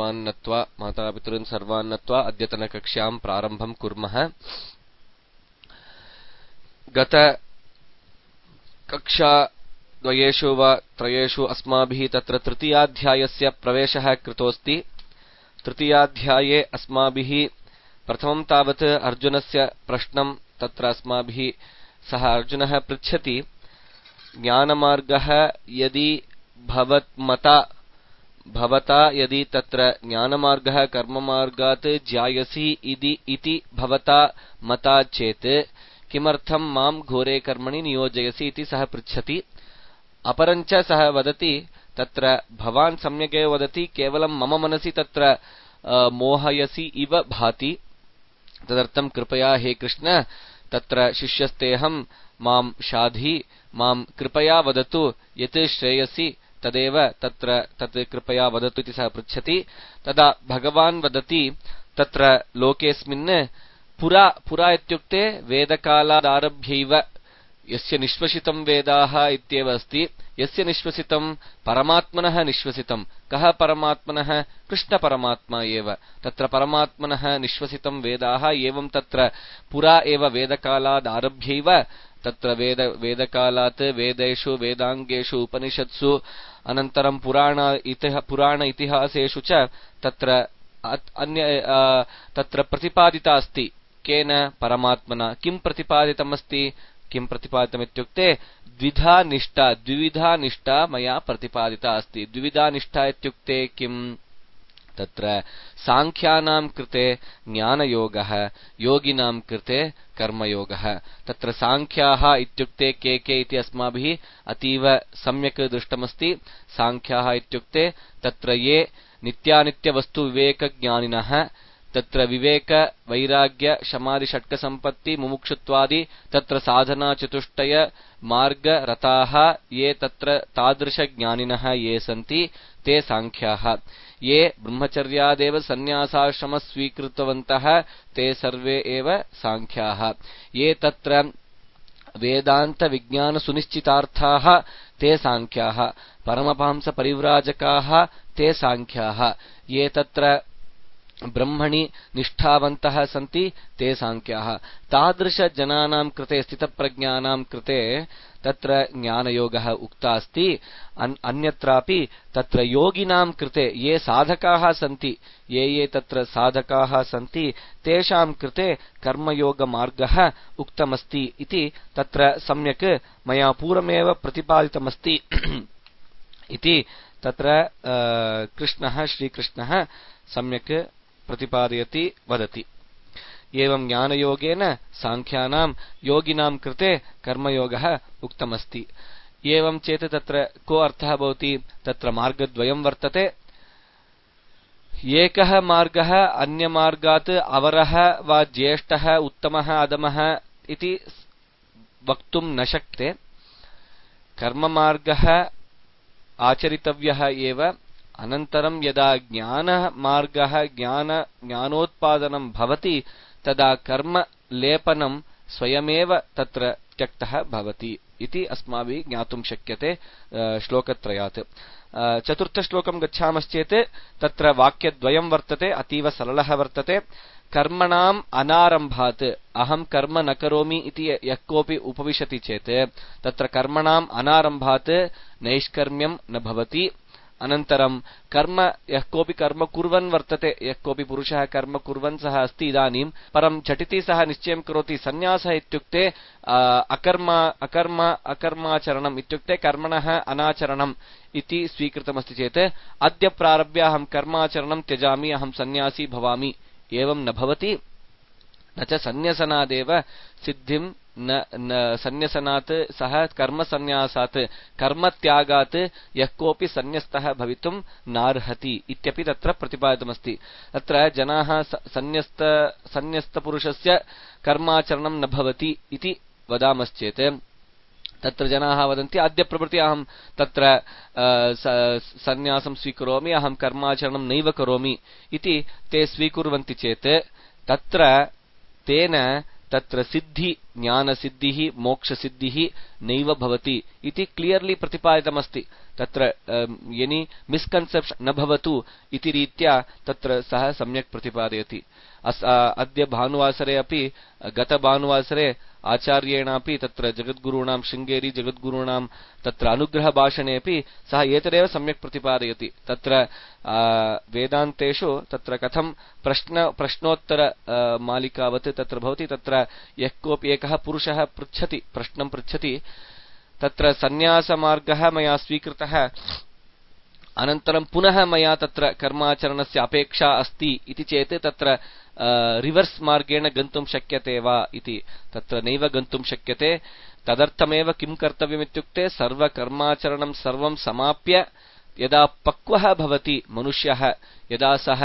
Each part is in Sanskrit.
सर्वान् नत्वा मातापितॄन् सर्वान् नत्वा अद्यतनकक्ष्यां प्रारम्भं कुर्मः। गत कक्षा द्वयेषु वा त्रयेषु अस्माभिः तत्र तृतीयाध्यायस्य प्रवेशः कृतोऽस्ति। तृतीयाध्याये अस्माभिः प्रथमं तावत् अर्जुनस्य प्रश्नं तत्र अस्माभिः सः अर्जुनः पृच्छति, ज्ञानमार्गः यदि भवता यदि तत्र ज्ञानमार्गः कर्ममार्गात् ज्यायसि इति भवता मता चेत् किमर्थं मां घोरे कर्मणि नियोजयसि इति सः पृच्छति। अपरञ्च सः वदति, तत्र भवान् सम्यगेव वदति, केवलं मम मनसि तत्र मोहयसि इव भाति। तदर्थं कृपया हे कृष्ण तत्र शिष्यस्तेऽहं, मां शाधि, मां कृपया वदतु, यत् श्रेयसि तदेव तत् कृपया वदतु इति सः पृच्छति। तदा भगवान् वदति, तत्र लोकेऽस्मिन् पुरा इत्युक्ते वेदकालादारभ्यैव यस्य निश्वसितं वेदाः इत्येव अस्ति। यस्य निश्वसितं परमात्मनः निश्वसितं। कः परमात्मनः? कृष्णपरमात्मा एव। तत्र परमात्मनः निश्वसितं वेदाः एवं तत्र पुरा एव वेदकालादारभ्यैव तत्र वेदकालात् वेदेषु वेदाङ्गेषु उपनिषत्सु अनन्तरं पुराण इतिहासेषु च तत्र तत्र प्रतिपादिता अस्ति। केन? परमात्मना। किं प्रतिपादितमस्ति? किं प्रतिपादितमित्युक्ते द्विविधा निष्ठा मया प्रतिपादिता अस्ति। द्विविधा निष्ठा इत्युक्ते किम्? तत्र सांख्यानां कृते ज्ञानयोगः, योगिनां कृते कर्मयोगः। तत्र सांख्याः इत्युक्ते के इति अस्माभिः अतीव सम्यक् दृष्टमस्ति। सांख्याः इत्युक्ते तत्र ये नित्यानित्यवस्तुविवेकज्ञानिनः, तत्र विवेक वैराग्य शमादि षट्कसम्पत्ति मुमुक्षुत्वादि तत्र साधना चतुष्टय मार्ग रताः ये तत्र तादृशज्ञानिनः ये सन्ति ते सांख्याः। ये ब्रह्मचर्यादेव सन्न्यासाश्रम स्वीकृतवन्तः ते सर्वे एव सांख्याः। ये तत्र वेदान्त विज्ञान सुनिश्चितार्थाः ते सांख्याः। परमहंस परिव्राजकाः ते सांख्याः। ये तत्र ब्रह्मणि निष्ठावन्तः सन्ति ते सांख्याः। तादृशजनानां कृते, स्थितप्रज्ञानां कृते तत्र ज्ञानयोगः उक्ता अस्ति। अन्यत्रापि तत्र योगिनां कृते ये साधकाः सन्ति, ये तत्र साधकाः सन्ति तेषां कृते कर्मयोगमार्गः उक्तमस्ति इति तत्र सम्यक् मया पूर्वमेव प्रतिपादितमस्ति इति तत्र श्रीकृष्णः सम्यक् प्रतिपादयति, वदति। एवं ज्ञानयोगेन सांख्यानां योगिनां कृते कर्मयोगः उक्तमस्ति। एवं चेत् तत्र को अर्थः भवति? तत्र मार्गद्वयं वर्तते। एकः मार्गः अन्यमार्गात् अवरः वा ज्येष्ठः उत्तमः अधमः इति वक्तुं न शक्यते। कर्ममार्गः आचरितव्यः एव। अनन्तरं यदा ज्ञानमार्गः ज्ञानोत्पादनं भवति तदा कर्मलेपनं स्वयमेव तत्र त्यक्तः भवति इति अस्माभिः ज्ञातुं शक्यते श्लोकत्रयात्। चतुर्थश्लोकं गच्छामश्चेत् तत्र वाक्यद्वयं वर्तते, अतीव सरलः वर्तते। कर्मणाम् अनारम्भात्, अहं कर्म न करोमि इति यः कोऽपि उपविशति चेत् तत्र कर्मणाम् अनारम्भात् नैष्कर्म्यं न भवति। अनन्तरं कर्म यः कोऽपि कर्म कुर्वन् वर्तते, यः कोऽपि पुरुषः कर्म कुर्वन् सः अस्ति इदानीं, परं झटिति सः निश्चयं करोति सन्न्यासः इत्युक्ते अकर्माचरणम् इत्युक्ते कर्मणः अनाचरणम् इति स्वीकृतमस्ति चेत् अद्य प्रारभ्य अहं कर्माचरणं त्यजामि, अहं सन्न्यासी भवामि, एवं न भवति। न च सन्न्यसनादेव सिद्धिं न सन्न्यसनात् सह कर्मसन्न्यासात् कर्मत्यागात् यः कोऽपि सन्न्यस्तः भवितुं नार्हति इत्यपि तत्र प्रतिपादितमस्ति। तत्र जनाः सन्न्यस्तपुरुषस्य कर्माचरणं न भवति इति वदामश्चेत् तत्र जनाः वदन्ति अद्य प्रभृति अहं तत्र सन्न्यासं स्वीकरोमि, अहं कर्माचरणं नैव करोमि इति ते स्वीकुर्वन्ति चेत् तत्र तेन तत्र सिद्धि ज्ञानसिद्धिः मोक्षसिद्धिः नैव भवति इति क्लियर्ली प्रतिपादितमस्ति। तत्र एनी मिस्कन्सेप्शन न भवतु इति रीत्या तत्र सः सम्यक् प्रतिपादयति। अद्य भानुवासरे अपि गतभानुवासरे आचार्येणापि तत्र जगद्गुरूणां शृङ्गेरी जगद्गुरूणां तत्र अनुग्रहभाषणे अपि सः एतदेव सम्यक् प्रतिपादयति। तत्र वेदान्तेषु तत्र कथं प्रश्नोत्तर मालिकावत् तत्र भवति। तत्र यः कोऽपि एकः पुरुषः पृच्छति प्रश्नं पृच्छति, तत्र सन्न्यासमार्गः मया स्वीकृतः, अनन्तरं पुनः मया तत्र कर्माचरणस्य अपेक्षा अस्ति इति चेत् तत्र रिवर्स् मार्गेण गन्तुं शक्यते वा इति। तत्र नैव गन्तुं शक्यते। तदर्थमेव किं कर्तव्यमित्युक्ते सर्वकर्माचरणं सर्वं समाप्य यदा पक्वः भवति मनुष्यः, यदा सः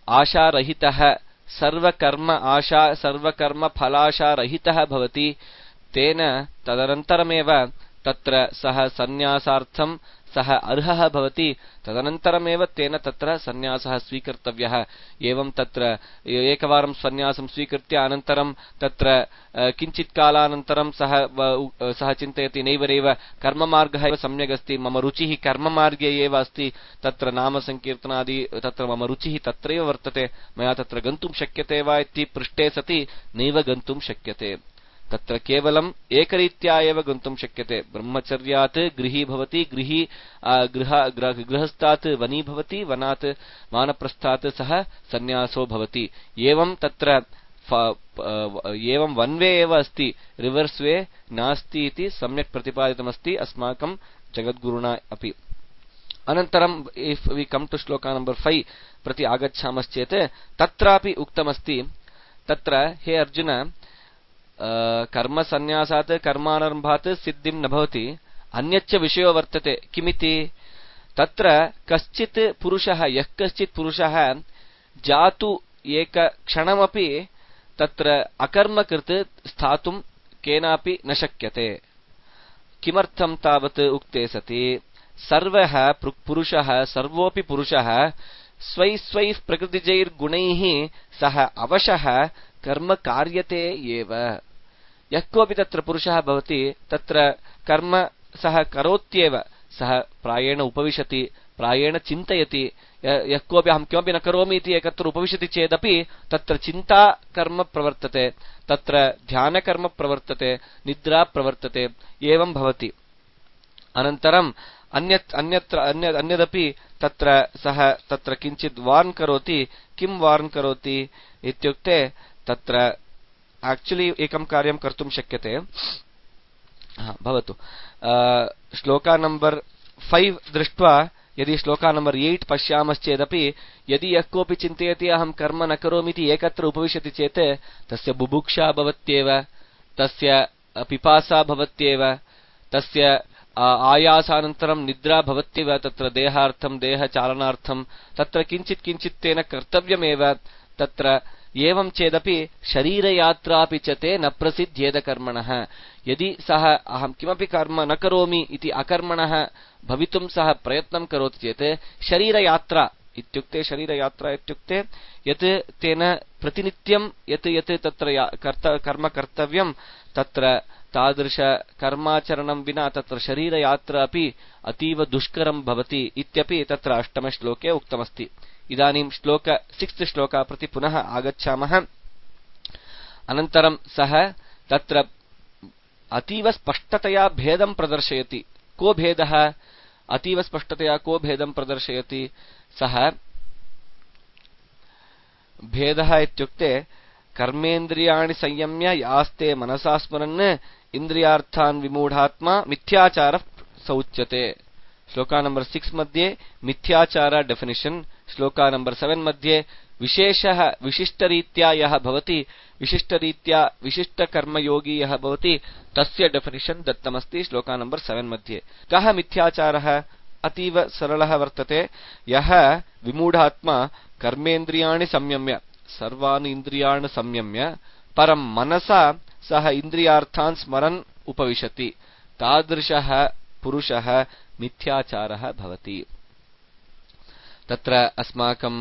आशारहितः सर्वकर्म फलाशारहितः भवति, तेन तदनन्तरमेव तत्र सः सन्न्यासार्थं सः अर्हः भवति। तदनन्तरमेव तेन तत्र सन्न्यासः स्वीकर्तव्यः। एवं तत्र एकवारं सन्न्यासं स्वीकृत्य अनन्तरं तत्र किञ्चित् कालानन्तरं सः चिन्तयति नैव कर्ममार्गः एव सम्यगस्ति, मम रुचिः कर्ममार्गे एव अस्ति, तत्र नामसङ्कीर्तनादि तत्र मम रुचिः तत्रैव वर्तते, मया तत्र गन्तुं शक्यते वा इति पृष्टे सति नैव गन्तुं शक्यते। तत्र केवलम् एकरीत्या एव गन्तुं शक्यते। ब्रह्मचर्यात् गृही भवति, गृहस्थात् वनी भवति, वनात् वानप्रस्थात् सः सन्न्यासो भवति। एवं तत्र एवं वन वे एव अस्ति, रिवर्स् वे नास्ति इति सम्यक् प्रतिपादितमस्ति अस्माकं जगद्गुरुणा अपि। अनन्तरं इफ् वी कम् टु श्लोका नम्बर् 5 प्रति आगच्छामश्चेत् तत्रापि उक्तमस्ति, तत्र हे अर्जुन कर्मसन्न्यासात् कर्मारम्भात् सिद्धिं न भवति, अन्यच्च विषयो वर्तते। किमिति? तत्र कश्चित् पुरुषः, यः कश्चित् पुरुषः जातु एकक्षणमपि तत्र अकर्मकृत् स्थातुं केनापि न शक्यते। किमर्थं तावत् उक्ते सति? सर्वः पुरुषः, सर्वोऽपि पुरुषः स्वैः प्रकृतिजैर्गुणैः सः अवशः कर्म कार्यते एव। यः कोऽपि तत्र पुरुषः भवति, तत्र कर्म सः करोत्येव, सः प्रायेण उपविशति, प्रायेण चिन्तयति। यः कोऽपि अहं किमपि न करोमि इति एकत्र उपविशति चेदपि तत्र चिन्ता कर्म प्रवर्तते, तत्र ध्यानकर्म प्रवर्तते, निद्रा प्रवर्तते, एवं भवति। अनन्तरम् अन्यदपि तत्र सः तत्र किञ्चित् वार्न् करोति। किं वार्न् करोति इत्युक्ते तत्र एक्चुअली एकं कार्यं कर्तुं शक्यते। भवतु श्लोका नम्बर् 5 दृष्ट्वा यदि श्लोका नम्बर् 8 पश्यामश्चेदपि यदि यः कोऽपि चिन्तयति अहं कर्म न करोमि इति एकत्र उपविशति चेत् तस्य बुभुक्षा भवत्येव, तस्य पिपासा भवत्येव, तस्य आयासानन्तरं निद्रा भवत्येव। तत्र देहार्थं देहचालनार्थं तत्र किञ्चित् तेन कर्तव्यमेव। तत्र एवं चेदपि शरीरयात्रापि च ते न प्रसिद्ध्येद कर्मणः। यदि सः अहं किमपि कर्म न करोमि इति अकर्मणः भवितुं सः प्रयत्नं करोति चेत् शरीरयात्रा इत्युक्ते यत् तेन प्रतिनित्यं यत् तत्र कर्म कर्तव्यं तत्र तादृश कर्माचरणं विना तत्र शरीरयात्रा अपि अतीव दुष्करं भवति इत्यपि तत्र 8 श्लोके उक्तमस्ति। इदानीं श्लोक 6 श्लोका प्रति पुनः आगच्छामः। अनन्तरं सः तत्र अतीव स्पष्टतया भेदं प्रदर्शयति। को भेदः? अतीव स्पष्टतया को भेदं प्रदर्शयति? सः भेदः इत्युक्ते कर्मेन्द्रियाणि संयम्य यास्ते मनसा स्मरन् इन्द्रियार्थान् विमूढात्मा मिथ्याचारः सौच्यते। श्लोका नम्बर् 6 मध्ये मिथ्याचार डेफिनिशन्, श्लोका नम्बर् 7 मध्ये विशेषः विशिष्टरीत्या यः भवति, विशिष्टरीत्या विशिष्टकर्मयोगी यः भवति तस्य डेफिनिशन् दत्तमस्ति श्लोका नम्बर् 7 मध्ये। कः मिथ्याचारः? अतीव सरलः वर्तते। यः विमूढात्मा कर्मेन्द्रियाणि संयम्य, सर्वाणि इन्द्रियाणि संयम्य परं मनसा सः इन्द्रियार्थान् स्मरन् उपविशति, तादृशः पुरुषः मिथ्याचारः भवति। तत्र अस्माकं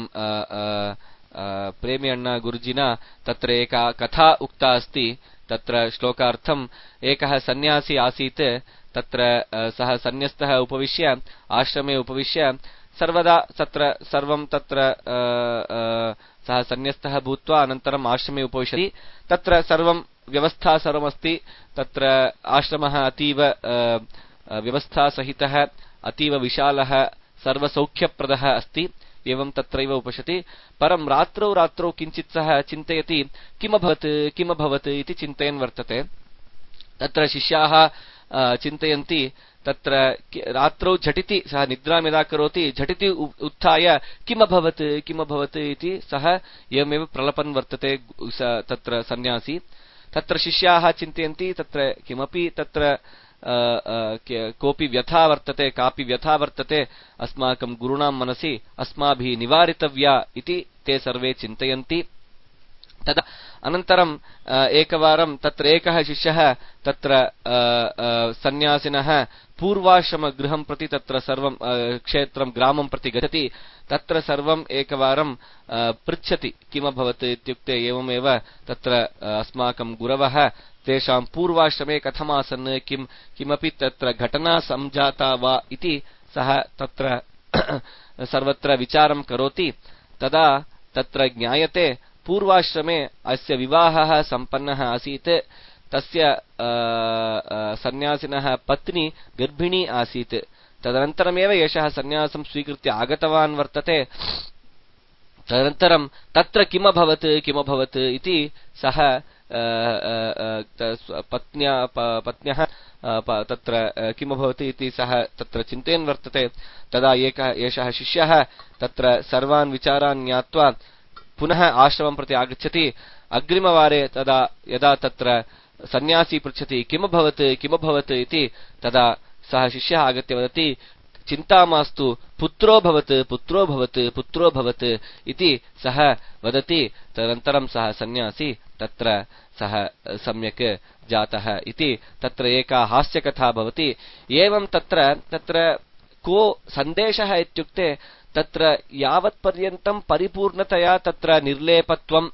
प्रेमी अण्णा गुरुजिना तत्र एका कथा उक्ता अस्ति। तत्र श्लोकार्थम् एकः सन्न्यासी आसीत् तत्र सः सन्न्यस्तः उपविश्य आश्रमे उपविश्य सर्वदा तत्र सर्वं तत्र सः सन्न्यस्तः भूत्वा अनन्तरम् आश्रमे उपविशति तत्र सर्वं व्यवस्था सर्वमस्ति तत्र आश्रमः अतीव व्यवस्थासहितः अतीव विशालः सर्वसौख्यप्रदः अस्ति एवं तत्रैव उपविशति परं रात्रौ किञ्चित् सः चिन्तयति किमभवत् इति चिन्तयन् वर्तते तत्र शिष्याः चिन्तयन्ति तत्र रात्रौ झटिति सः निद्रां यदा करोति झटिति उत्थाय किमभवत् इति सः एवमेव प्रलपन् वर्तते तत्र सन्न्यासी तत्र शिष्याः चिन्तयन्ति तत्र किमपि तत्र कोऽपि व्यथा वर्तते कापि व्यथा वर्तते अस्माकं गुरुणां मनसि अस्माभिः निवारितव्या इति ते सर्वे चिन्तयन्ति तदा अनन्तरम् एकवारं तत्र एकः शिष्यः तत्र सन्न्यासिनः पूर्वाश्रमगृहं प्रति तत्र सर्वं क्षेत्रं ग्रामं प्रति गच्छति तत्र सर्वम् एकवारं पृच्छति किमभवत् इत्युक्ते एवमेव तत्र अस्माकं गुरवः तेषां पूर्वाश्रमे कथमासन् किमपि तत्र घटना संजाता वा इति सः तत्र सर्वत्र विचारं करोति तदा तत्र ज्ञायते पूर्वाश्रमे अस्य विवाहः सम्पन्नः आसीत् तस्य सन्न्यासिनः पत्नी गर्भिणी आसीत् तदनन्तरमेव एषः सन्न्यासं स्वीकृत्य आगतवान् वर्तते तदनन्तरं तत्र किमभवत् इति सः पत्न्यः तत्र किमभवत् इति सः तत्र चिन्तयन् वर्तते तदा एषः शिष्यः तत्र सर्वान् विचारान् ज्ञात्वा पुनः आश्रमं प्रति आगच्छति अग्रिमवारे तदा यदा तत्र सन्न्यासी पृच्छति किमभवत् इति तदा सः शिष्यः आगत्य वदति चिन्ता मास्तु पुत्रो भवत् इति सः वदति तदनन्तरं सः सन्न्यासी तत्र सः सम्यक् जातः इति तत्र एका हास्यकथा भवति एवं तत्र को सन्देशः इत्युक्ते तत्र यावत्पर्यन्तं परिपूर्णतया तत्र निर्लेपत्वं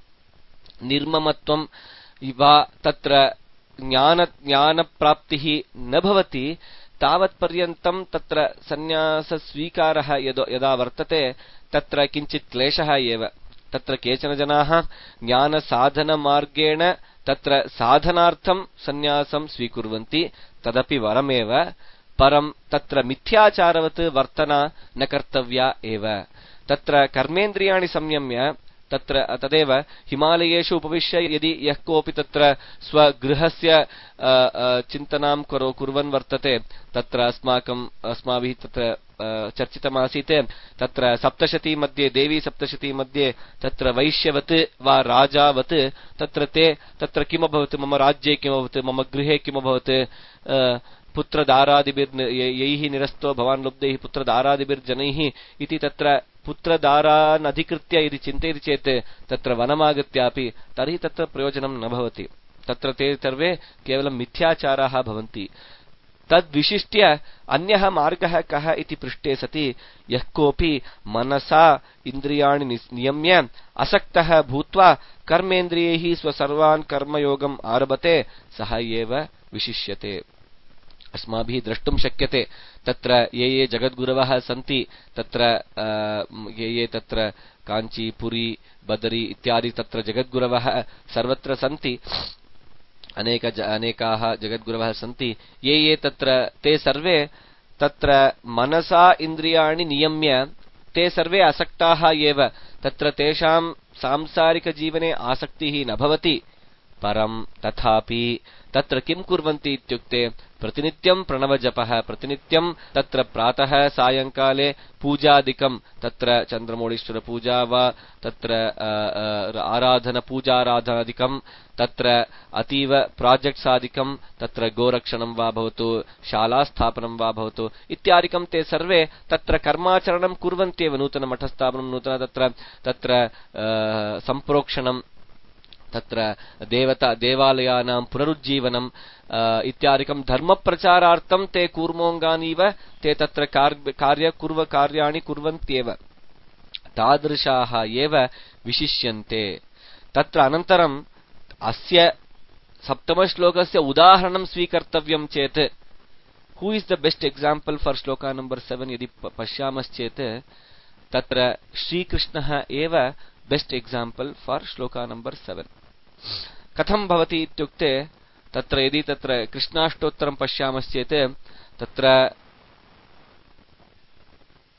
निर्ममत्वं वा तत्र ज्ञानप्राप्तिः न भवति तावत्पर्यन्तं तत्र सन्न्यासस्वीकारः यदा वर्तते तत्र किञ्चित् क्लेशः एव तत्र केचन जनाः ज्ञानसाधनमार्गेण तत्र साधनार्थं सन्न्यासं स्वीकुर्वन्ति तदपि वरमेव परं तत्र मिथ्याचारवत् वर्तना न कर्तव्या एव तत्र कर्मेन्द्रियाणि संयम्य तत्र तदेव हिमालयेषु उपविश्य यदि यः कोऽपि तत्र स्वगृहस्य चिन्तनां कुर्वन् वर्तते तत्र अस्माभिः तत्र चर्चितमासीत् तत्र सप्तशती मध्ये देवी सप्तशती मध्ये तत्र वैश्यवत् वा राजावत् तत्र ते तत्र किमभवत् मम राज्ये किमभवत् मम गृहे किमभवत् पुत्रदारादिभिर्यैः निरस्तो भवान् लुब्धैः पुत्रदारादिभिर्जनैः इति तत्र पुत्रदारान् अधिकृत्य यदि चिन्तयति चेत् तत्र वनमागत्यापि तर्हि तत्र प्रयोजनं न भवति तत्र ते सर्वे केवलं मिथ्याचाराः भवन्ति तद्विशिष्ट्य अन्यः मार्गः कः इति पृष्टे सति यः कोऽपि मनसा इन्द्रियाणि नियम्य असक्तः भूत्वा कर्मेन्द्रियैः स्वसर्वान् कर्मयोगम् आरभते सः एव विशिष्यते अस्माभिः द्रष्टुं शक्यते तत्र ये जगद्गुरवः सन्ति तत्र ये तत्र काञ्ची पुरी बदरी इत्यादि तत्र जगद्गुरवः सर्वत्र सन्ति अनेकाः जगद्गुरवः सन्ति ये तत्र ते सर्वे तत्र मनसा इन्द्रियाणि नियम्य ते सर्वे असक्ताः एव तत्र तेषां सांसारिकजीवने आसक्तिः न भवति परं तथापि तत्र किं कुर्वन्ति इत्युक्ते प्रतिनित्यं प्रणवजपः प्रतिनित्यं तत्र प्रातः सायंकाले पूजादिकं तत्र चन्द्रमौळीश्वर पूजा वा तत्र पूजाराधनादिकं तत्र अतीव प्रोजेक्ट्स् आदिकं तत्र गोरक्षणं वा भवतु शालास्थापनं वा भवतु इत्यादिकं ते सर्वे तत्र कर्माचरणं कुर्वन्त्येव नूतनमठस्थापनं नूतन तत्र सम्प्रोक्षणं तत्र देवालयानां पुनरुज्जीवनम् इत्यादिकं धर्मप्रचारार्थं ते कूर्मोऽङ्गानीव ते तत्र कार्याणि कुर्वन्त्येव तादृशाः एव विशिष्यन्ते तत्र अनन्तरम् अस्य सप्तमश्लोकस्य उदाहरणं स्वीकर्तव्यं चेत् who is the best example for श्लोका नंबर 7 यदि पश्यामश्चेत् तत्र श्रीकृष्णः एव बेस्ट एग्जाम्पल फॉर श्लोका नंबर 7 कथं भवति इत्युक्ते तत्र यदि तत्र कृष्णाष्टोत्तरं पश्यामश्चेत् तत्र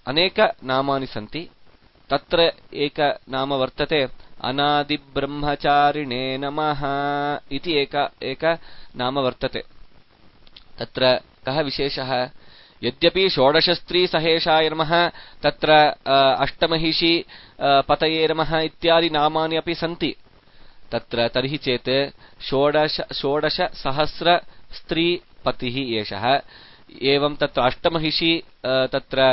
अनेक नामानि सन्ति तत्र एक नाम वर्तते अनादिब्रह्मचारिणे नमः इति एक नाम वर्तते तत्र कः विशेषः यद्यपि षोडशस्त्री सहेशाय नमः तत्र अष्टमहिषी पतये नमः इत्यादि नामानि अपि सन्ति तत्र तर्हि चेत् षोडश सहस्र स्त्री पतिः एषः एवं तत्र अष्टमहिषी तत्र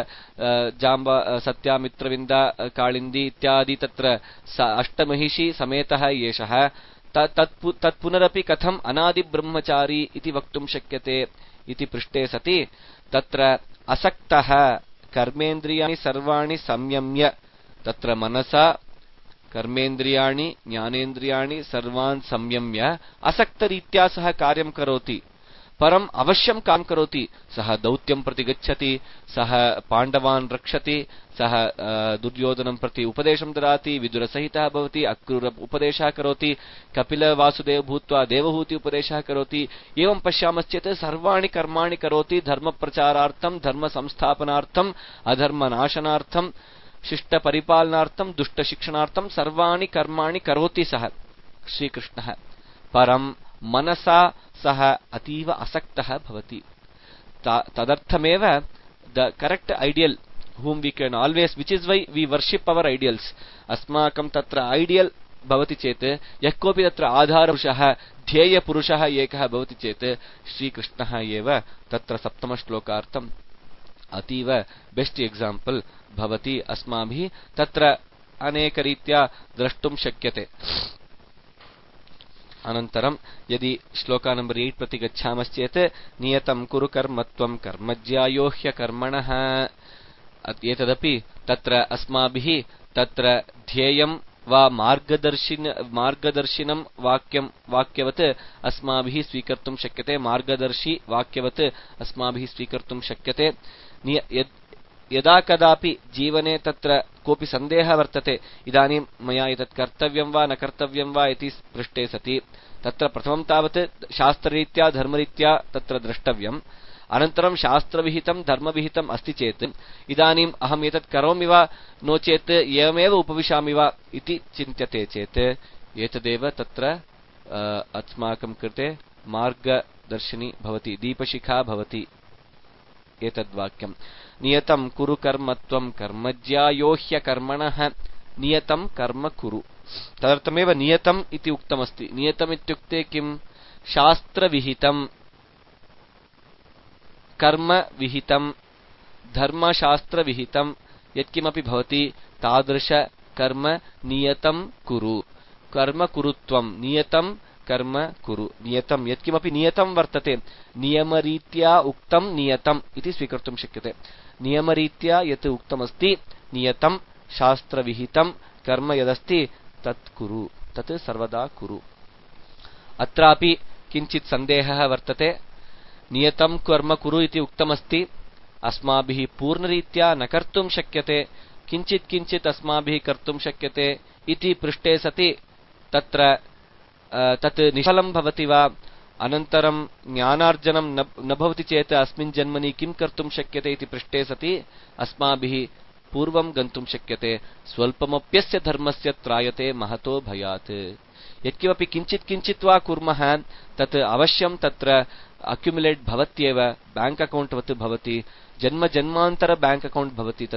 जाम्ब सत्यामित्रविन्दा कालिन्दी इत्यादि तत्र अष्टमहिषी समेतः एषः तत्पुनरपि कथम् अनादिब्रह्मचारी इति वक्तुं शक्यते इति पृष्टे सति तत्र असक्तः कर्मेन्द्रियाणि सर्वाणि संयम्य तत्र मनसा कर्मेन्द्रियाणि ज्ञानेन्द्रियाणि सर्वान् संयम्य असक्तरीत्या सः कार्यं करोति परम् अवश्यं कार्यं करोति सः दौत्यं प्रति गच्छति सः पाण्डवान् रक्षति सः दुर्योधनं प्रति उपदेशं ददाति विदुरसहितः भवति अक्रूर उपदेशः करोति कपिलवासुदेव भूत्वा देवहूति उपदेशः करोति एवं पश्यामश्चेत् सर्वाणि कर्माणि करोति धर्मप्रचारार्थं धर्मसंस्थापनार्थं अधर्मनाशनार्थं शिष्टपरिपालनार्थं दुष्टशिक्षणार्थं सर्वाणि कर्माणि करोति सः श्रीकृष्णः परं मनसा सः अतीव असक्तः भवति तदर्थमेव the correct ideal whom we can always which is why we worship our ideals अस्माकं तत्र आइडियल भवति चेत् यः कोऽपि तत्र आधारपुरुषः ध्येयपुरुषः एकः भवति चेत् श्रीकृष्णः एव तत्र सप्तमश्लोकार्थम् अतीव बेस्ट एग्जाम्पल भवति अस्माभिः तत्र अनेकरीत्या द्रष्टुं शक्यते अनन्तरं यदि श्लोका नंबर 8 प्रति गच्छामश्चेत् नियतं कुरु कर्मत्वं कर्मज्यायो ह्यकर्मणः एतदपि तत्र अस्माभिः तत्र ध्येयं वा मार्गदर्शिनं वाक्यवत् अस्माभिः स्वीकर्तुं शक्यते मार्गदर्शी वाक्यवत् अस्माभिः स्वीकर्तुं शक्यते यदा कदापि जीवने तत्र कोऽपि सन्देहः वर्तते इदानीं मया एतत् कर्तव्यं वा न कर्तव्यं वा इति पृष्टे सति तत्र प्रथमं तावत् शास्त्ररीत्या धर्मरीत्या तत्र द्रष्टव्यम् अनन्तरं शास्त्रविहितं धर्मविहितम् अस्ति चेत् इदानीम् अहम् एतत् करोमि वा नो चेत् एवमेव उपविशामि वा इति चिन्त्यते चेत् एतदेव तत्र अस्माकं कृते मार्गदर्शिनी भवति दीपशिखा भवति एतद्वाक्यम् नियतं कुरु कर्मत्वं कर्मज्यायो ह्यकर्मणः नियतं कर्म कुरु तदर्थमेव नियतम् इति उक्तमस्ति नियतम् इत्युक्ते किं शास्त्रविहितं कर्मविहितं धर्मशास्त्रविहितं यत्किमपि भवति तादृश कर्म नियतं कुरु कर्म कुरुत्वं नियतं कर्म कुरु नियतं यत्किमपि नियतं वर्तते नियमरीत्या उक्तं नियतम् इति स्वीकर्तुं शक्यते नियमरीत्या यत् उक्तमस्ति नियतं शास्त्रविहितं कर्म यदस्ति तत् कुरु तत् सर्वदा कुरु अत्रापि किञ्चित् सन्देहः वर्तते नियतं कर्म कुरु इति उक्तमस्ति अस्माभिः पूर्णरीत्या न कर्तुं शक्यते किञ्चित् किञ्चित् अस्माभिः कर्तुं शक्यते इति पृष्टे सति तत्र तत् निष्फलं भवति वा अनन्तरं ज्ञानार्जनं न भवति चेत् अस्मिन् जन्मनि किं कर्तुं शक्यते इति पृष्टे सति अस्माभिः पूर्वं गन्तुं शक्यते स्वल्पमप्यस्य धर्मस्य त्रायते महतो भयात् यत्किमपि किञ्चित् किञ्चित् वा कुर्मः तत् अवश्यं तत्र अक्युमुलेट् भवत्येव बैंक अकाउंट वत् भवति जन्म जन्मान्तर बैंक अकाउंट भवति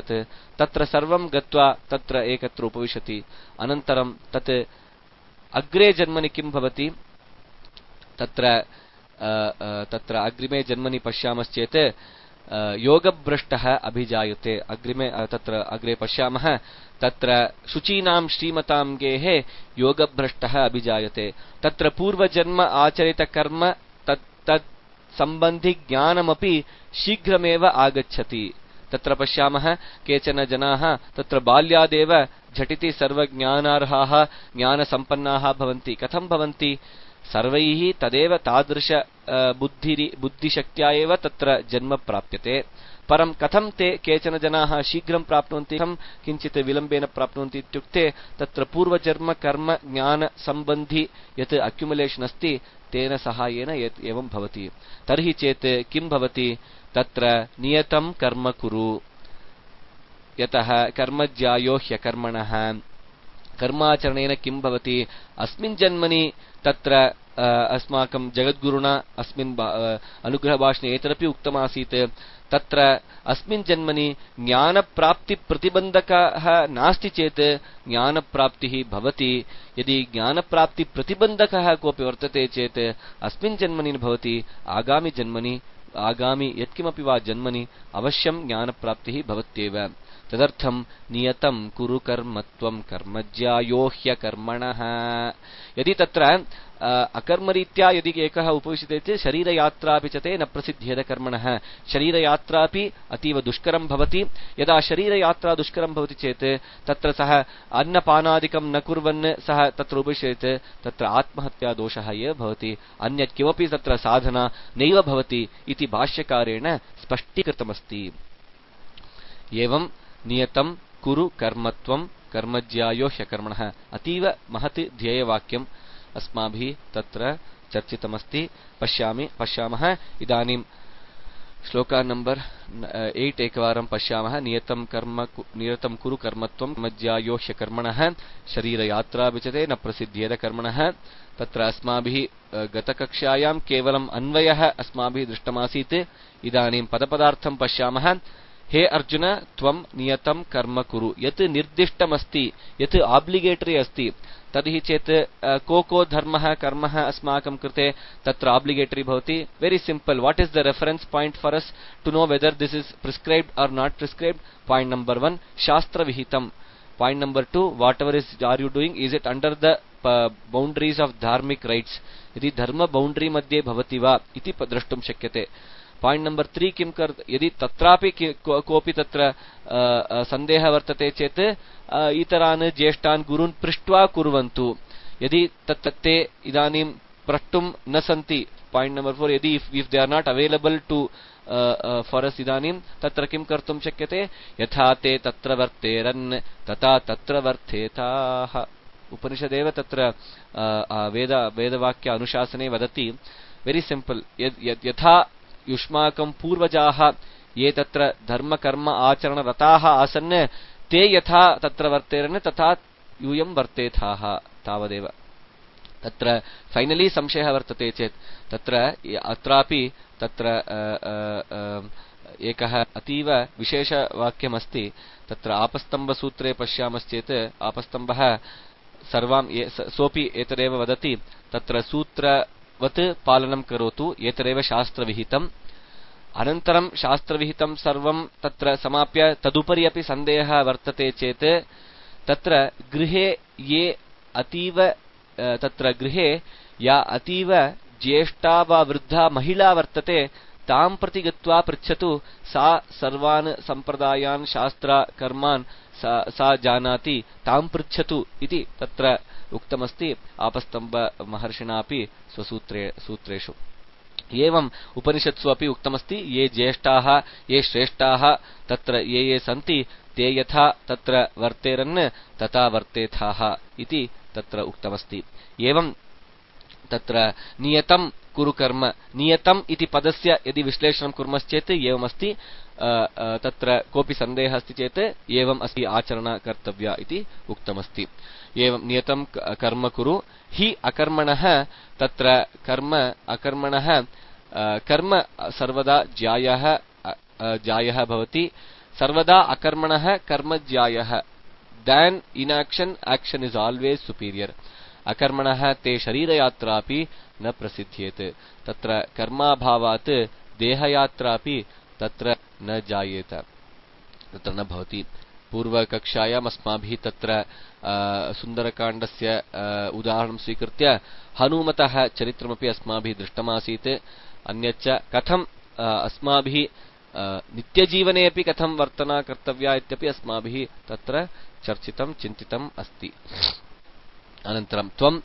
तत्र सर्वं गत्वा तत्र एकत्र उपविशति अनन्तरं तत् अग्रे जन्मनि किं भवति तत्र अग्रिमे जन्मनि पश्यामश्चेत् योगभ्रष्टः अभिजायते अग्रिमे तत्र अग्रे पश्यामः तत्र शुचीनां श्रीमतां गेः योगभ्रष्टः अभिजायते तत्र पूर्वजन्म आचरित कर्म तत् संबंधि ज्ञानमपि शीघ्रमेव आगच्छति तत्र पश्यामः केचन जनाः तत्र बाल्यादेव झटिति सर्वज्ञानार्हाः ज्ञानसम्पन्नाः भवन्ति कथं भवन्ति सर्वैः तदेव तादृश बुद्धिशक्त्या एव तत्र जन्म प्राप्यते। परं कथं ते केचन जनाः शीघ्रं प्राप्नुवन्ति, कथं किञ्चित् विलम्बेन प्राप्नुवन्ति इत्युक्ते तत्र पूर्वजन्म कर्म ज्ञान सम्बन्धि यत् अक्युमुलेशन् अस्ति तेन सहायेन एवं भवति। तर्हि चेत् किं भवति, तत्र नियतं कर्म कुरु, यतः कर्मज्यायो ह्यकर्मणः। कर्माचरणेन किं भवति, अस्मिन् जन्मनि तत्र अस्माकं जगद्गुरुणा अस्मिन् अनुग्रहभाषणे एतदपि उक्तमासीत्, तत्र अस्मिन् जन्मनि ज्ञानप्राप्तिप्रतिबन्धकः नास्ति चेत् ज्ञानप्राप्तिः भवति। यदि ज्ञानप्राप्तिप्रतिबन्धकः कोऽपि वर्तते चेत् अस्मिन् जन्मनि न भवति, आगामि यत्किमपि वा जन्मनि अवश्यं ज्ञानप्राप्तिः भवत्येव। तदर्थं नियतं कुरु कर्मत्वं कर्मज्यायो ह्यकर्मणः। यदि तत्र अकर्मरीत्या यदि एकः उपविशते चेत् शरीरयात्रापि च ते न प्रसिद्ध्येद कर्मणः। शरीरयात्रापि अतीव दुष्करं भवति। यदा शरीरयात्रा दुष्करं भवति चेत् तत्र सः अन्नपानादिकं न कुर्वन् सः तत्र उपविशेत्, तत्र आत्महत्यादोषः एव भवति, अन्यत् किमपि तत्र साधना नैव भवति इति भाष्यकारेण स्पष्टीकृतमस्ति। एवं नियतं कुरु कर्मत्वं कर्मज्यायो ह्यकर्मणः अतीव महत् ध्येयवाक्यम् अस्माभिः तत्र चर्चितमस्ति। पश्यामः इदानीं श्लोक नंबर 8 एकवारं पश्यामः। नियतं कुरु कर्मत्वं कर्मज्यायो ह्यकर्मणः शरीरयात्रा विचते न प्रसिद्ध्येद कर्मणः। तत्र अस्माभिः गतकक्षायां केवलम् अन्वयः अस्माभिः दृष्टमासीत्। इदानीं पदपदार्थं पश्यामः। हे अर्जुन, त्वं नियतं कर्म कुरु, यत् निर्दिष्टमस्ति, यत् ऑब्लिगेटरी अस्ति, तर्हि चेत् को धर्मः कर्मः अस्माकं कृते तत्र ऑब्लिगेटरी भवति। Very simple, what is the reference point for us to know whether this is prescribed or not prescribed? Point number 1 शास्त्र विहितम। Point number 2 whatever is are you doing, is it under the boundaries of धार्मिक राइट्स, यदि धर्म बाउंड्री मध्ये भवति वा इति द्रष्टुं शक्यते। पॉइंट नंबर 3 किं यदि तत्रापि कोऽपि तत्र सन्देहः वर्तते चेत् इतरान् ज्येष्ठान् गुरून् पृष्ट्वा कुर्वन्तु। यदि ते इदानीं प्रष्टुं न सन्ति, पॉइंट नंबर 4, यदि if they are not available to for us, इदानीं तत्र किं कर्तुं शक्यते, यथा ते तत्र वर्तेरन् तथा तत्र वर्तेताः। उपनिषदेव तत्र वेदवाक्य अनुशासने वदति। वेरी सिंपल, यथा युष्माकं पूर्वजाः ये तत्र धर्म कर्म आचरणरताः आसन्, ते यथा तत्र वर्तेरन् तथा यूयं वर्तेथाः, तावदेव। तत्र फाइनली संशयः वर्तते चेत् तत्र अत्रापि तत्र एकः अतीव विशेषवाक्यमस्ति। तत्र आपस्तम्भसूत्रे पश्यामश्चेत् आपस्तम्भः सर्वां सोऽपि एतदेव वदति, तत्र सूत्रवत् पालनं करोतु, एतदेव शास्त्रविहितम्। अनन्तरं शास्त्रविहितं सर्वं तत्र समाप्य तदुपरि अपि सन्देहः वर्तते चेत् तत्र गृहे ये अतीव तत्र गृहे या अतीव ज्येष्ठा वा वृद्धा महिला वर्तते तां प्रति गत्वा पृच्छतु, सा सर्वान् सम्प्रदायान् शास्त्र कर्मान् सा जानाति, तां पृच्छतु इति तत्र उक्तमस्ति आपस्तम्भ महर्षिणापि सूत्रेषु। एवं उपनिषत्सु अपि उक्तमस्ति, ये ज्येष्ठाः ये श्रेष्ठाः तत्र ये सन्ति ते यथा तत्र वर्तेरन् तथा वर्तेथाः इति तत्र उक्तमस्ति। एवं तत्र नियतं कुरु कर्म, नियतम् इति पदस्य यदि विश्लेषणं कुर्मश्चेत् एवमस्ति। तत्र कोऽपि सन्देहः अस्ति चेत् एवम् अस्ति आचरणा कर्तव्या इति उक्तमस्ति। एवं नियतं कर्म कुरु हि अकर्मणः, तत्र कर्म अकर्मणः, कर्म सर्वदा ज्यायः भवति, सर्वदा अकर्मणः कर्म ज्यायः। Then inaction action is always superior. अकर्मणः ते शरीरयात्रापि न प्रसिद्ध्येत्, तत्र कर्माभावात् देहयात्रापि तत्र न जायेत, तत्र न भवति। पूर्वकक्षायाम् अस्माभिः तत्र सुन्दरकाण्डस्य उदाहरणं स्वीकृत्य हनुमतः चरित्रमपि अस्माभिः दृष्टमासीत्। अन्यच्च कथम् अस्माभिः नित्यजीवने अपि कथं वर्तना कर्तव्या इत्यपि अस्माभिः तत्र चर्चितं चिन्तितम् अस्ति। अनन्तरं त्वं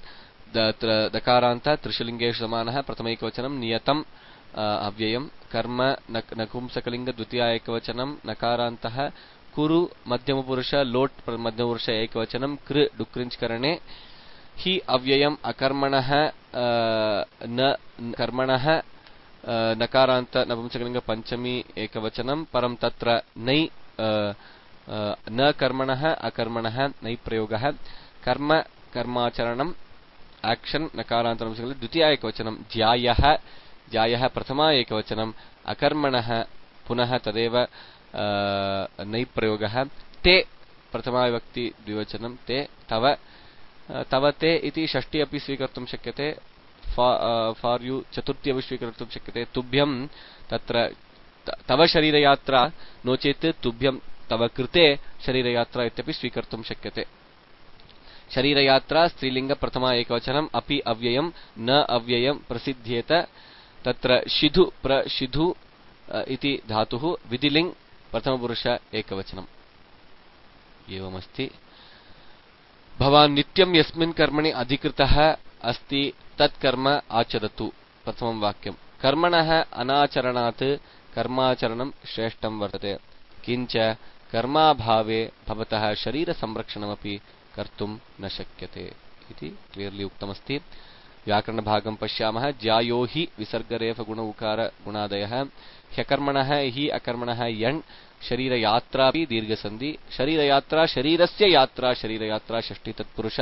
दकारान्त त्रिशलिङ्गेषु समानः प्रथमैकवचनं नियतम् अव्ययम् कर्म नपुंसकलिङ्ग द्वितीय एकवचनं नकारान्तः कुरु मध्यमपुरुष लोट् मध्यमपुरुष एकवचनं कृ डुक्रिञ्चकरणे हि अव्ययम् अकर्मणः न कर्मणः नकारान्त नपुंसकलिङ्ग पञ्चमी एकवचनं परं तत्र नै न कर्मणः अकर्मणः नै प्रयोगः कर्म कर्माचरणम् एक्शन नकारान्त नपुंसकलिङ्ग द्वितीय एकवचनं ज्यायः ज्यायः प्रथमा एकवचनं अकर्मणः पुनः तदेव नै प्रयोगः ते प्रथमा विभक्ति द्विवचनं ते तव तव ते इति षष्ठी अपि स्वीकर्तुं शक्यते फार् यू चतुर्थी अपि स्वीकर्तुं शक्यते तुभ्यं तत्र तव शरीरयात्रा नो चेत् तुभ्यं तव कृते शरीरयात्रा इत्यपि स्वीकर्तुं शक्यते शरीरयात्रा स्त्रीलिङ्ग प्रथमा एकवचनम् अपि अव्ययं न अव्ययं प्रसिद्ध्येत तत्र शिधु प्रशिधु इति धातुः विधिलिङ् प्रथमपुरुष एकवचनम् एवमस्ति भवान् नित्यं यस्मिन् कर्मणि अधिकृतः अस्ति तत् कर्म आचरतु प्रथमं वाक्यं कर्मणः अनाचरणात् कर्माचरणं श्रेष्ठं वर्तते किञ्च कर्माभावे भवतः शरीरसंरक्षणमपि कर्तुं न शक्यते इति क्लियर्ली उक्तमस्ति व्याकरणभागं पश्यामः ज्यायो हि विसर्गरेफ गुण उकार गुणादयः ह्यकर्मणः हि अकर्मणः यण् शरीरयात्रापि दीर्घसन्धि शरीरयात्रा शरीरस्य यात्रा शरीरयात्रा षष्ठी तत्पुरुष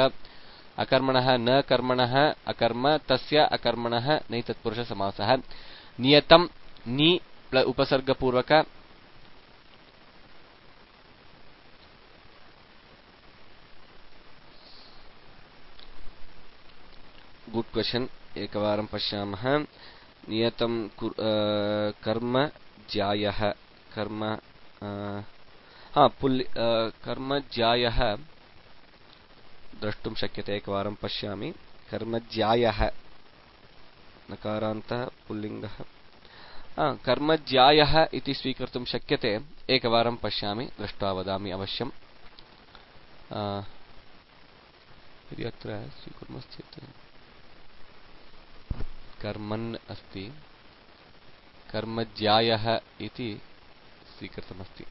अकर्मणः न कर्मणः अकर्म तस्य अकर्मणः नै तत्पुरुष समासः नियतं नि उपसर्गपूर्वक गुड क्वेश्चन एकवारं पश्यामः नियतं कर्म ज्यायः कर्म कर्म ज्यायः द्रष्टुं शक्यते एकवारं पश्यामि कर्म ज्यायः नकारान्तः पुल्लिङ्गः कर्म ज्यायः इति स्वीकर्तुं शक्यते एकवारं पश्यामि दृष्ट्वा वदामि अवश्यम् यदि अत्र स्वीकुर्मश्चेत् कर्मन् अस्ति कर्मज्यायः इति स्वीकृतमस्ति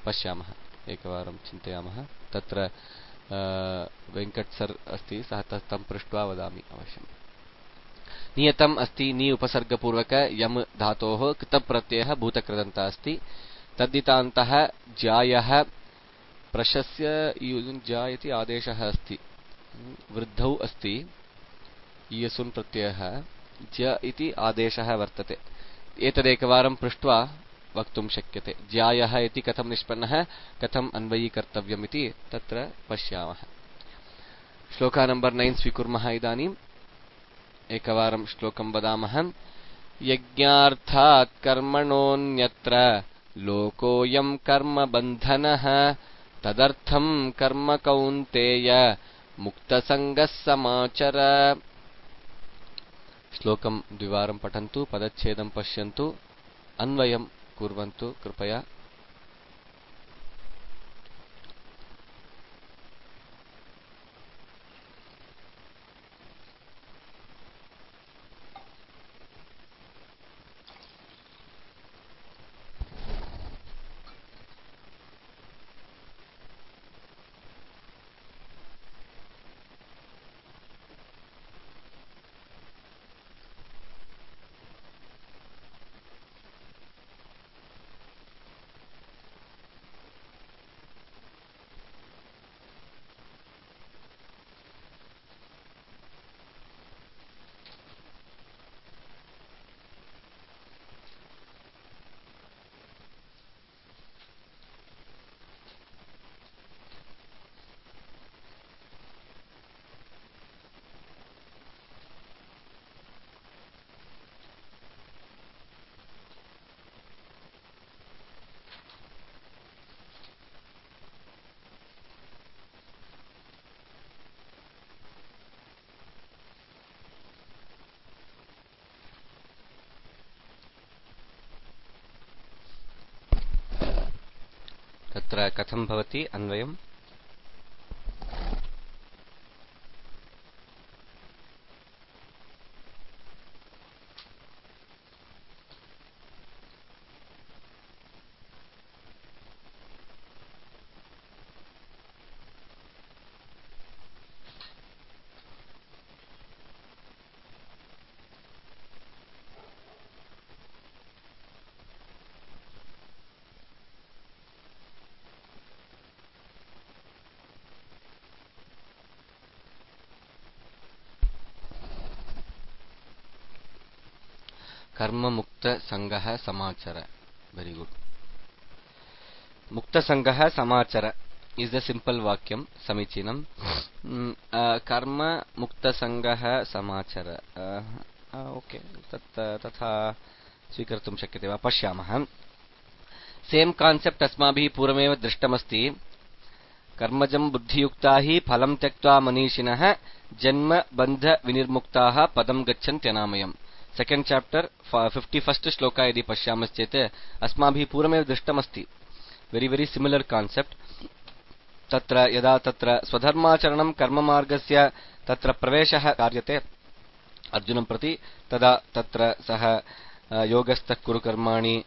पश्यामः एकवारं चिन्तयामः तत्र वेङ्कट सर् अस्ति सः तं पृष्ट्वा वदामि अवश्यम् नियतम् अस्ति नि उपसर्गपूर्वक यम् धातोः कृतप्रत्ययः भूतकृदन्तः अस्ति तद्दितान्तः ज्यायः प्रशस्य जायति आदेशः अस्ति वृद्धौ अस्ति इयसुन् प्रत्ययः ज इति आदेशः वर्तते एतदेकवारं पृष्ट्वा वक्तुं शक्यते ज्यायः इति कथं निष्पन्नः कथम् अन्वयीकर्तव्यम् इति तत्र पश्यामः श्लोका नंबर 9 स्वीकुर्मः इदानीम् एकवारं श्लोकं वदामः यज्ञार्थात् कर्मणोऽन्यत्र लोकोऽयं कर्मबन्धनः तदर्थं कर्म कौन्तेय मुक्तसङ्गः समाचर श्लोकं द्विवारं पठन्तु पदच्छेदं पश्यन्तु अन्वयं कुर्वन्तु कृपया तत्र कथं भवति अन्वयम् कर्म मुक्त संगः समाचर. Very good. Mukta Sangha Samachara is the simple vakyam. Samichinam. Karma Mukta Sangha Samachara. Okay. Tatha Swikartum Shakyate va Pashyamah. Same concept अस्माभिः पूर्वमेव दृष्टमस्ति. कर्मजं बुद्धियुक्ता हि फलं त्यक्त्वा मनीषिणः जन्म बन्ध विनिर्मुक्ताः पदं गच्छन्त्यनामयम्. सेकेंड चैप्टर 51st श्लोक यदि पश्यामश्चेत् अस्माभिः पूर्वमेव दृष्टमस्ति. Very very similar concept. तत्र यदा तत्र स्वधर्माचरणं कर्ममार्गस्य तत्र प्रवेशः कार्यते अर्जुनं प्रति, तदा तत्र सः योगस्थः कुरु कर्माणि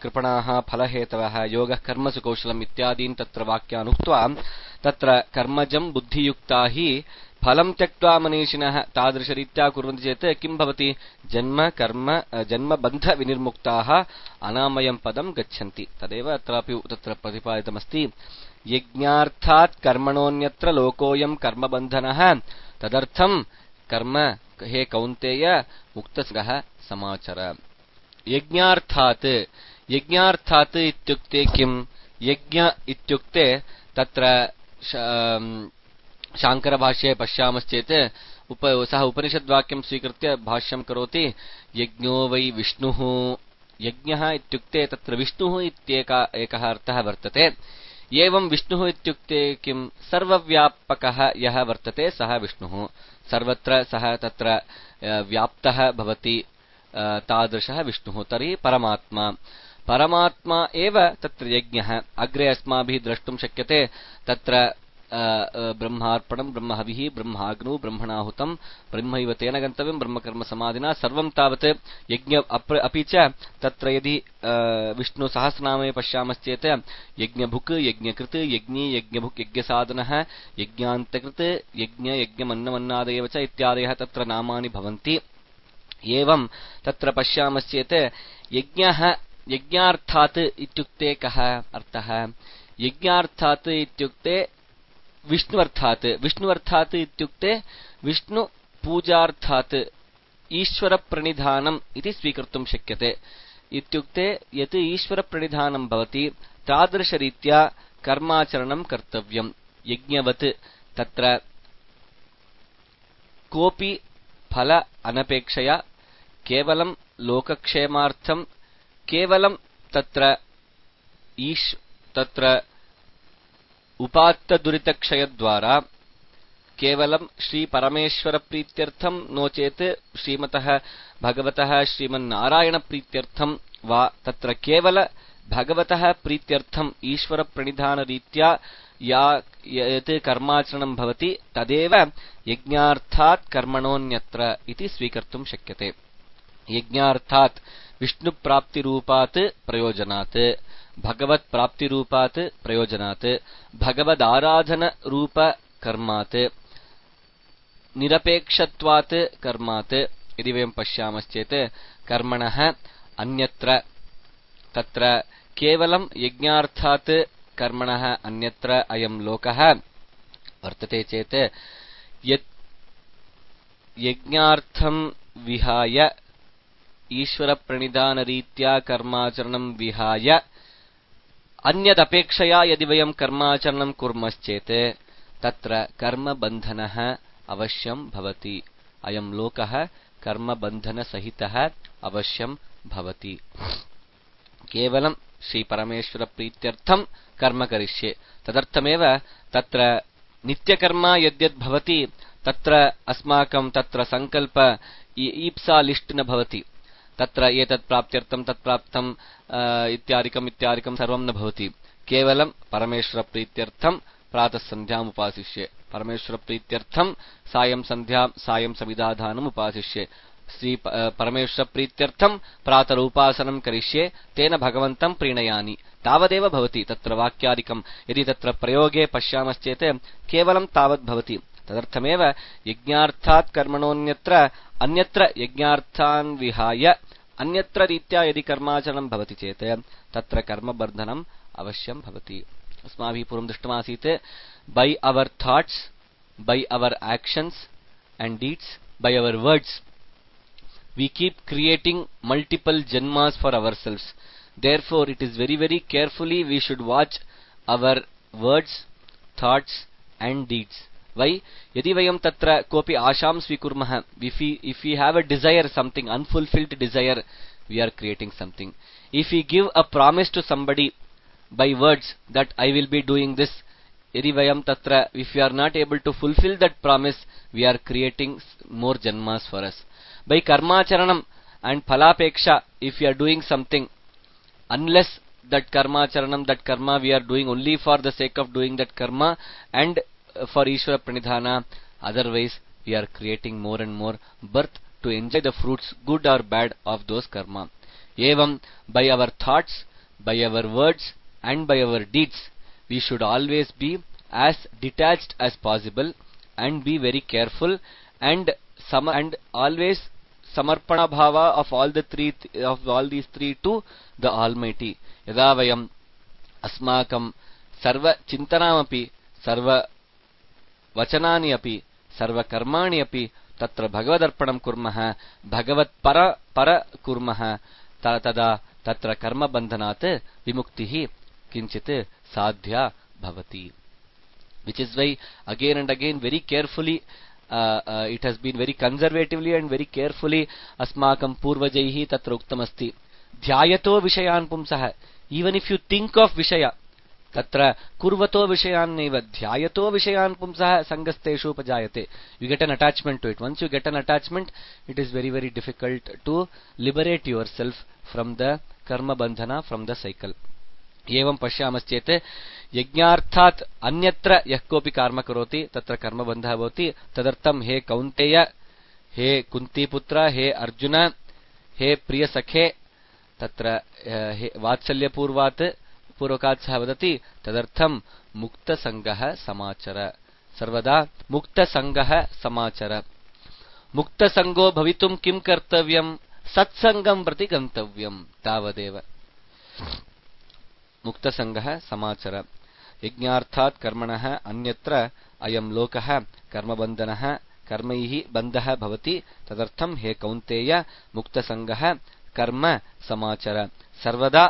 कृपणाः फलहेतवः योगः कर्मसु कौशलम् इत्यादीन् तत्र वाक्यान् उक्त्वा तत्र कर्मजं बुद्धियुक्ता हि फलं त्यक्त्वा मनीषिणः तादृशरीत्या कुर्वन्ति चेत् किं भवति? जन्म कर्म जन्म बन्ध विनिर्मुक्ताः अनामयं पदं गच्छन्ति. तदेव अत्रापि तत्र प्रतिपादितमस्ति. यज्ञार्थात् कर्मणोऽन्यत्र लोकोऽयं कर्मबन्धनः तदर्थं कर्म हे कौन्तेय मुक्तसंगः समाचर. यज्ञार्थात् यज्ञार्थात् इत्युक्ते किं? यज्ञ इत्युक्ते तत्र शाङ्करभाष्ये पश्यामश्चेत् सः उपनिषद्वाक्यं स्वीकृत्य भाष्यं करोति. यज्ञो वै विष्णुः. यज्ञः इत्युक्ते तत्र विष्णुः एकः अर्थः वर्तते. एवं विष्णुः इत्युक्ते किं? सर्वव्यापकः यः वर्तते सः विष्णुः. सर्वत्र सः तत्र व्याप्तः भवति. तादृशः विष्णुः. तर्हि परमात्मा परमात्मा एव तत्र यज्ञः. अग्रे अस्माभिः द्रष्टुं शक्यते. तत्र ब्रह्मार्पणं ब्रह्महविः ब्रह्माग्नौ ब्रह्मणाहुतं ब्रह्मैव तेन गन्तव्यं ब्रह्मकर्मसमाधिना सर्वं तावत् यज्ञ. अपि च तत्र यदि विष्णुसहस्रनामे पश्यामश्चेत् यज्ञभुक् यज्ञकृत् यज्ञी यज्ञभुक् यज्ञसाधनः यज्ञान्तकृत् यज्ञ यज्ञमन्नमन्नादयः च इत्यादयः तत्र नामानि भवन्ति. एवं तत्र पश्यामश्चेत् यज्ञः यज्ञार्थात् इत्युक्ते कः अर्थः? यज्ञार्थात् इत्युक्ते विष्णुअर्थात्. विष्णुअर्थात् इत्युक्ते विष्णु पूजार्थात् ईश्वरप्रणिधानम् इति स्वीकर्तुं शक्यते. इत्युक्ते यत् ईश्वरप्रणिधानं भवति तादृशरीत्या कर्माचरणं कर्तव्यं. यज्ञवत् तत्र कोऽपि फल अनपेक्षया केवलं लोकक्षेमार्थं केवलं तत्र तत्र उपात्तदुरितक्षयद्वारा केवलं श्रीपरमेश्वरप्रीत्यर्थं नो चेत् श्रीमतः भगवतः श्रीमन्नारायणप्रीत्यर्थं वा तत्र केवल भगवतः प्रीत्यर्थं ईश्वरप्रणिधानरीत्या यत् कर्माचरणं भवति तदेव यज्ञार्थात् कर्मणोऽन्यत्र इति स्वीकर्तुं शक्यते. यज्ञार्थात् विष्णुप्राप्तिरूपात् प्रयोजनात् भगवत्प्राप्तिरूपात् प्रयोजनात् भगवदाराधनरूपकर्मात् निरपेक्षत्वात् कर्मात्. यदि वयं पश्यामश्चेत् कर्मणः अन्यत्र तत्र केवलं यज्ञार्थात् कर्मणः अन्यत्र अयं लोकः वर्तते चेत् यत् यज्ञार्थं विहाय ईश्वरप्रणिधानरीत्या कर्माचरणं विहाय अन्यदपेक्षया यदि वयं कर्माचरणं कुर्मश्चेत् तत्र कर्मबन्धनः अवश्यं भवति. अयं लोकः कर्मबन्धनसहितः अवश्यं भवति. केवलं श्रीपरमेश्वरप्रीत्यर्थं कर्म करिष्ये. तदर्थमेव तत्र नित्यकर्म यद्यद् भवति तत्र अस्माकं तत्र संकल्प ईप्सा लिस्ट न भवति. तत्र एतत् प्राप्त्यर्थं तत् प्राप्तम् इत्यादिकं सर्वं न भवति. केवलं परमेश्वरप्रीत्यर्थं प्रातः सन्ध्याम् उपासिष्ये, परमेश्वरप्रीत्यर्थं सायं सन्ध्यां सायं समिदाधानम् उपासिष्ये, श्री परमेश्वरप्रीत्यर्थं प्रातरूपासनं करिष्ये, तेन भगवन्तं प्रीणयानि. तावदेव भवति. तत्र वाक्यादिकं यदि तत्र प्रयोगे पश्यामश्चेत् केवलं तावद् भवति. तदर्थमेव यज्ञार्थात् कर्मणोऽन्यत्र अन्यत्र यज्ञार्थान् विहाय अन्यत्र रीत्या यदि कर्माचरणं भवति चेत् तत्र कर्मबन्धनम् अवश्यं भवति. अस्माभिः पूर्वं दृष्टमासीत् by our thoughts, by our actions and deeds, by our words we keep creating multiple janmas for ourselves. Therefore it is very very carefully we should watch our words, thoughts and deeds. Why? Yadi vayam tatra kopi asham svikurmah, if we have a desire, something unfulfilled desire, we are creating something. If we give a promise to somebody by words that I will be doing this, yadi vayam tatra, if we are not able to fulfill that promise, we are creating more janmas for us. By karmacharanam and phalapeksha, if we are doing something, unless that karmacharanam, that karma we are doing only for the sake of doing that karma and for Ishvara pranidhana, otherwise we are creating more and more birth to enjoy the fruits, good or bad, of those karma. Evam, by our thoughts, by our words and by our deeds, we should always be as detached as possible and be very careful and always samarpana bhava of all these three to the Almighty. Yada vayam asmakam sarva chintanamapi sarva vachanani api sarva karmani api tatra bhagavadarpanam kurmah bhagavat para kurmah tada tatra karma bandhanat vimuktihi kinchit sadhya bhavati. Which is why again and again very carefully it has been very conservatively and very carefully asmakam purvajaihi tatra uktamasti dhyayato vishayan pumsah. Even if you think of vishaya, tatra kurvato vishayan neva dhyayato vishayan pumsah sangasteshu upajayate. You get an attachment to it. Once you get an attachment, it is very very difficult to liberate yourself from the karma bandhana, from the cycle. एवं पश्यामश्चेत् यज्ञार्थात् अन्यत्र यः कोऽपि कर्म करोति तत्र कर्मबन्धः भवति. तदर्थं हे कौन्तेय, हे कुन्तीपुत्र, हे अर्जुन, हे प्रियसखे, तत्र हे वात्सल्यपूर्वात् पूर्वकात् सः वदति तदर्थं मुक्तसङ्गः समाचर. सर्वदा मुक्तसङ्गः समाचर. मुक्तसङ्गो भवितुं किं कर्तव्यं? सत्सङ्गं प्रति गन्तव्यं. तावदेव. मुक्तसङ्गः समाचर. यज्ञार्थात् कर्मणः अन्यत्र अयं लोकः कर्मबन्धनः कर्मैः बन्धः भवति. तदर्थं हे कौन्तेय मुक्तसङ्गः कर्म समाचर. सर्वदा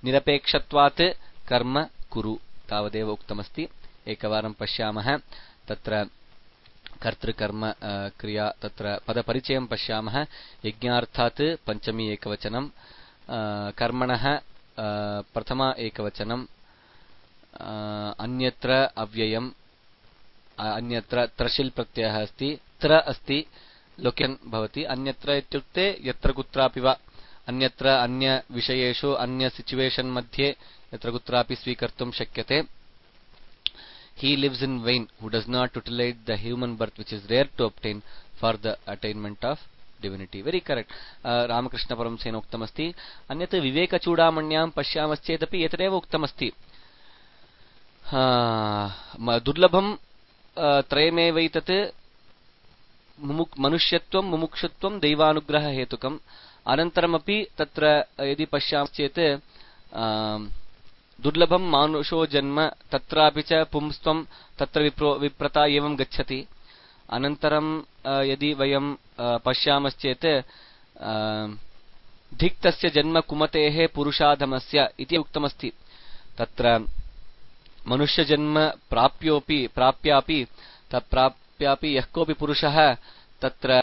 निरपेक्षत्वात् कर्म कुरु. तावदेव उक्तमस्ति. एकवारं पश्यामः. तत्र कर्तृकर्म क्रिया, तत्र पदपरिचयं पश्यामः. यज्ञार्थात् पञ्चमी एकवचनं, कर्मणः प्रथमा एकवचनम्, अन्यत्र अव्ययम्, अन्यत्र त्रशिल् प्रत्ययः अस्ति, त्र अस्ति, लोकेन् भवति. अन्यत्र इत्युक्ते यत्र कुत्रापि वा, अन्यत्र अन्य विषयेषु अन्य सिचुएशन् मध्ये यत्र कुत्रापि स्वीकर्तुं शक्यते. He lives in vain who does not utilize the human birth which is rare to obtain for the attainment of divinity. Very correct. Ramakrishna Paramsena uktamasti. Anyat viveka chudamanyam pashyamaschetapi etareva uktamasti. Durlabham trayamevaitat manushyattvam mumukshutvam deivanugraha hetukam. Anantaramapi tatra yadi pashyamaschet दुर्लभम मानुषो जन्म तत्रापि च पुंस्त्वं तत्र विप्रता एवं गच्छति. अनन्तरं यदि वयं पश्यामश्चेत् धिक्तस्य जन्म कुमतेः पुरुषाधमस्य इति उक्तमस्ति. तत्र मनुष्यजन्म प्राप्यापि यः कोऽपि पुरुषः तत्र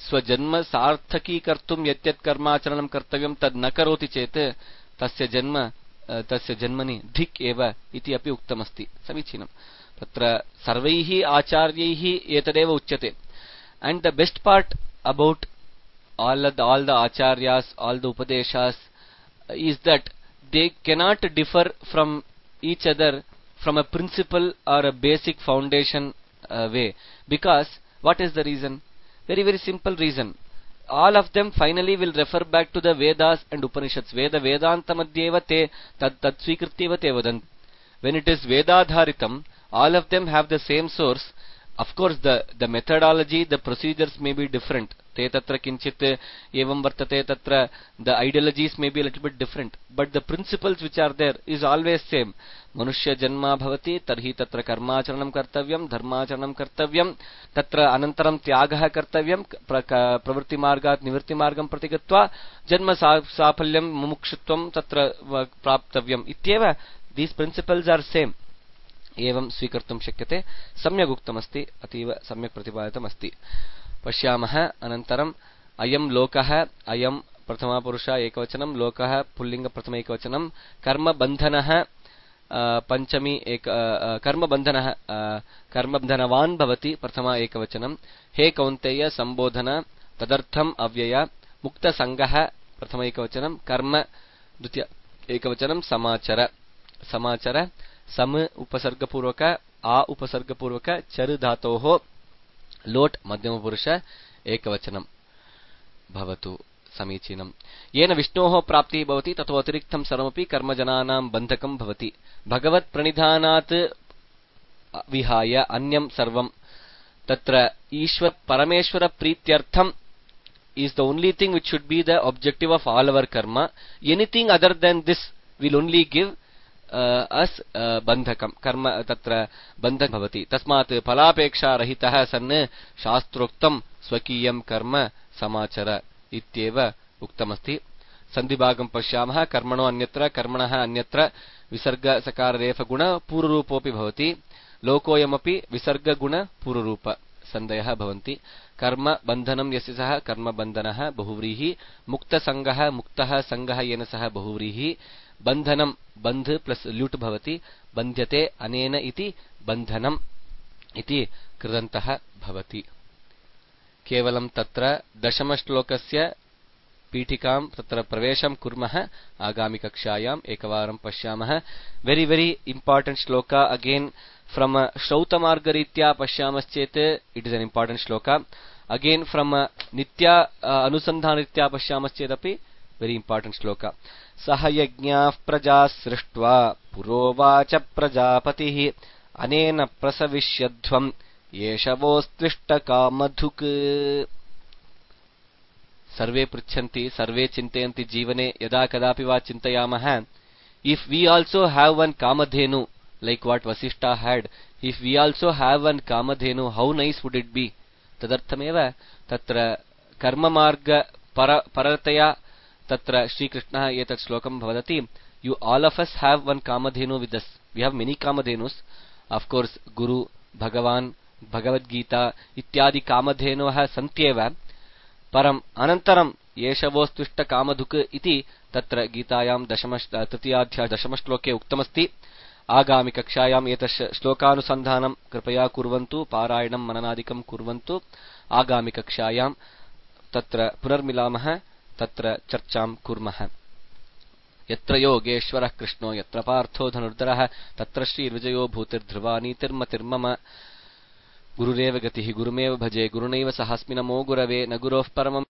स्वजन्म सार्थकीकर्तुं यत् कर्माचरणं कर्तव्यं तद् न करोति चेत् तस्य जन्मनि धिक् एव इति अपि उक्तमस्ति. समीचीनं. तत्र सर्वैः आचार्यैः एतदेव उच्यते. And the best part about all the acharyas, all the upadeshas is that they cannot differ from each other from a principle or a basic foundation way. Because what is the reason? Very very simple reason. All of them finally will refer back to the Vedas and Upanishads. Vedanta madhyeva te tad swikrityeva te vadanti. When it is Vedadharitam, all of them have the same source. Of course, the methodology, the procedures may be different. ते तत्र किञ्चित् एवं वर्तते तत्र the ideologies may be a little bit different but the principles which are there is always same मनुष्य जन्म भवति तर्हि तत्र कर्माचरणं कर्तव्यं धर्माचरणं कर्तव्यं तत्र अनन्तरं त्यागः कर्तव्यं प्रवृत्तिमार्गात् निवृत्तिमार्गं प्रति गत्वा जन्म साफल्यं मुमुक्षुत्वं तत्र प्राप्तव्यम् इत्येव दीस् प्रिंसिपल्स आर सेम एवं स्वीकर्तुं शक्यते सम्यक् उक्तमस्ति अतीव सम्यक् प्रतिपादितमस्ति पश्यामः अनन्तरम् अयं लोकः अयं प्रथमापुरुष एकवचनं लोकः पुल्लिङ्ग प्रथम एकवचनं कर्मबन्धनः पंचमी एक कर्मबन्धनः कर्मबन्धनवान् भवति प्रथमा एकवचनं हे कौन्तेय संबोधन तदर्थम् अव्यय मुक्तसङ्गः प्रथम एकवचनं कर्म द्वितीय एकवचनं समाचर समाचर सम उपसर्गपूर्वक आ उपसर्गपूर्वक चर धातोः लोट मध्यमपुरुष एकवचनं भवतु समीचीनम् येन विष्णोः प्राप्तिः भवति ततो अतिरिक्तं सर्वमपि कर्मजनानां बन्धकं भवति भगवत् प्रणिधानात् विहाय अन्यं सर्वं तत्र ईश्वर परमेश्वर प्रीत्यर्थं is the only thing which should be the objective of all our karma. Anything other than this will only give us bandhakam karma tatra bandhak bhavati tasmat phalapeksha rahitah sanne शास्त्रोक्तं स्वकीयं कर्म समाचर इत्येव उक्तमस्ति सन्धिभागं पश्यामः कर्मणो अन्यत्र कर्मणः अन्यत्र विसर्ग सकार रेफ गुण पूर्वरूपोऽपि भवति लोकोयमपि विसर्ग गुण पूर्वरूप संदयः भवन्ति कर्म बन्धनं यस्य सः कर्म बन्धनः बहुव्रीहि मुक्त संगः मुक्तः संगः येन सः बहुव्रीहि बन्धनं बन्ध प्लस ल्युट् भवति बन्ध्यते अनेन इति बन्धनम् इति कृदन्तः भवति केवलं तत्र दशमश्लोकस्य पीठिकां तत्र प्रवेशं कुर्मः आगामि कक्षायाम् एकवारं पश्यामः वेरी वेरी इम्पोर्टेंट श्लोका अगेन फ्रॉम श्रौतमार्गरीत्या पश्यामश्चेत् इट इज एन इम्पोर्टेंट श्लोका अगेन फ्रॉम नित्या अनुसंधानरीत्या पश्यामश्चेदपि वेरी इम्पोर्टेंट श्लोका सह यज्ञाः प्रजा सृष्ट्वा पुरोवाच प्रजापतिः अनेन प्रसविष्यध्वम् येषवोस्त्विष्टकामधुक् सर्वे पृच्छन्ति सर्वे चिन्तयन्ति जीवने यदा कदापि वा चिन्तयामः if we also have one Kamadhenu like what Vasishta had if we also have one kamadhenu how nice would it be tadarthameva tatra karma marga parataya tatra Shri Krishna etat shlokam bhavati you all of us have one kamadhenu with us we have many kamadhenus of course Guru Bhagavan Bhagavad Gita ityadi kamadhenuah santyeva param anantaram yeshavostishta kamadhuk iti tatra गीतायां तृतीयाध्याय दशमश्लोके उक्तमस्ति आगामि कक्षायाम् एतत् श्लोकानुसन्धानं कृपया कुर्वन्तु पारायणं मननादिकं कुर्वन्तु आगामि कक्षायां तत्र पुनर्मिलामः तत्र चर्चां कुर्मः यत्र योगेश्वरः कृष्णो यत्र पार्थो धनुर्धरः तत्र श्रीर्विजयो भूतिर्ध्रुवा नीतिर्मतिर्मम गुरुरेव गतिः गुरुमेव भजे गुरुनैव सहास्मि नमो गुरवे न गुरोः परमम्